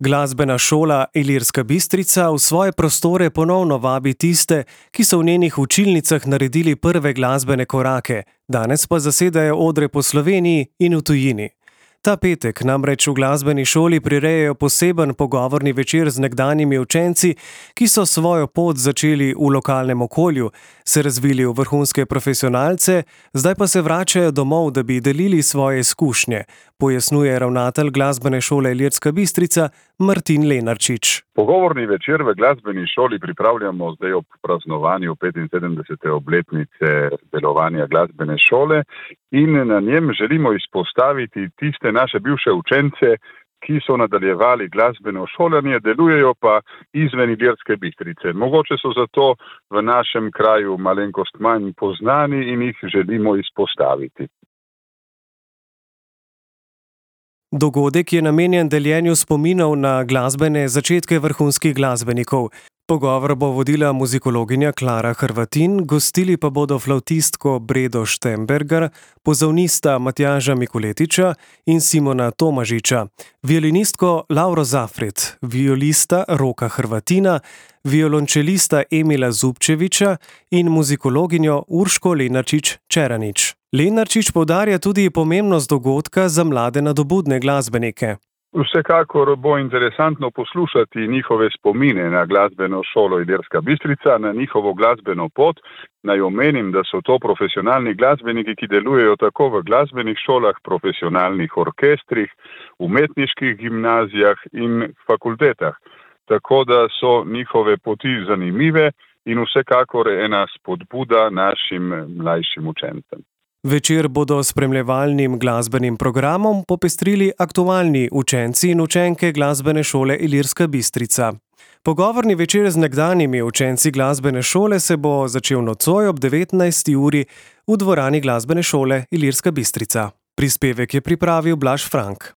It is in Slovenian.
Glasbena šola Ilirska Bistrica v svoje prostore ponovno vabi tiste, ki so v njenih učilnicah naredili prve glasbene korake, danes pa zasedajo odre po Sloveniji in v tujini. Ta petek namreč v glasbeni šoli prirejajo poseben pogovorni večer z nekdanjimi učenci, ki so svojo pot začeli v lokalnem okolju, se razvili v vrhunske profesionalce, zdaj pa se vračajo domov, da bi delili svoje izkušnje, pojasnjuje ravnatelj glasbene šole Ilirska Bistrica Martin Lenarčič. Pogovorni večer v glasbeni šoli pripravljamo zdaj ob praznovanju 75. obletnice delovanja glasbene šole in na njem želimo izpostaviti tiste naše bivše učence, ki so nadaljevali glasbeno šolanje, delujejo pa izven Ilirske Bistrice. Mogoče so zato v našem kraju malenkost manj poznani in jih želimo izpostaviti. Dogodek je namenjen deljenju spominov na glasbene začetke vrhunskih glasbenikov. Pogovor bo vodila muzikologinja Klara Hrvatin, gostili pa bodo flavtistko Bredo Štembergar, pozavnista Matjaža Mikuletiča in Simona Tomažiča, violinistko Lauro Zafret, violista Roka Hrvatina, violončelista Emila Zubčeviča in muzikologinjo Urško Lenarčič-Čeranič. Lenarčič poudarja tudi pomembnost dogodka za mlade nadobudne glasbenike. Vsekakor bo interesantno poslušati njihove spomine na glasbeno šolo Ilirska Bistrica, na njihovo glasbeno pot. Naj omenim, da so to profesionalni glasbeniki, ki delujejo tako v glasbenih šolah, profesionalnih orkestrih, umetniških gimnazijah in fakultetah. Tako da so njihove poti zanimive in vsekakor ena spodbuda našim mlajšim učencem. Večer bodo s spremljevalnim glasbenim programom popestrili aktualni učenci in učenke glasbene šole Ilirska Bistrica. Pogovorni večer z nekdanjimi učenci glasbene šole se bo začel nocoj ob 19. uri v dvorani glasbene šole Ilirska Bistrica. Prispevek je pripravil Blaž Frank.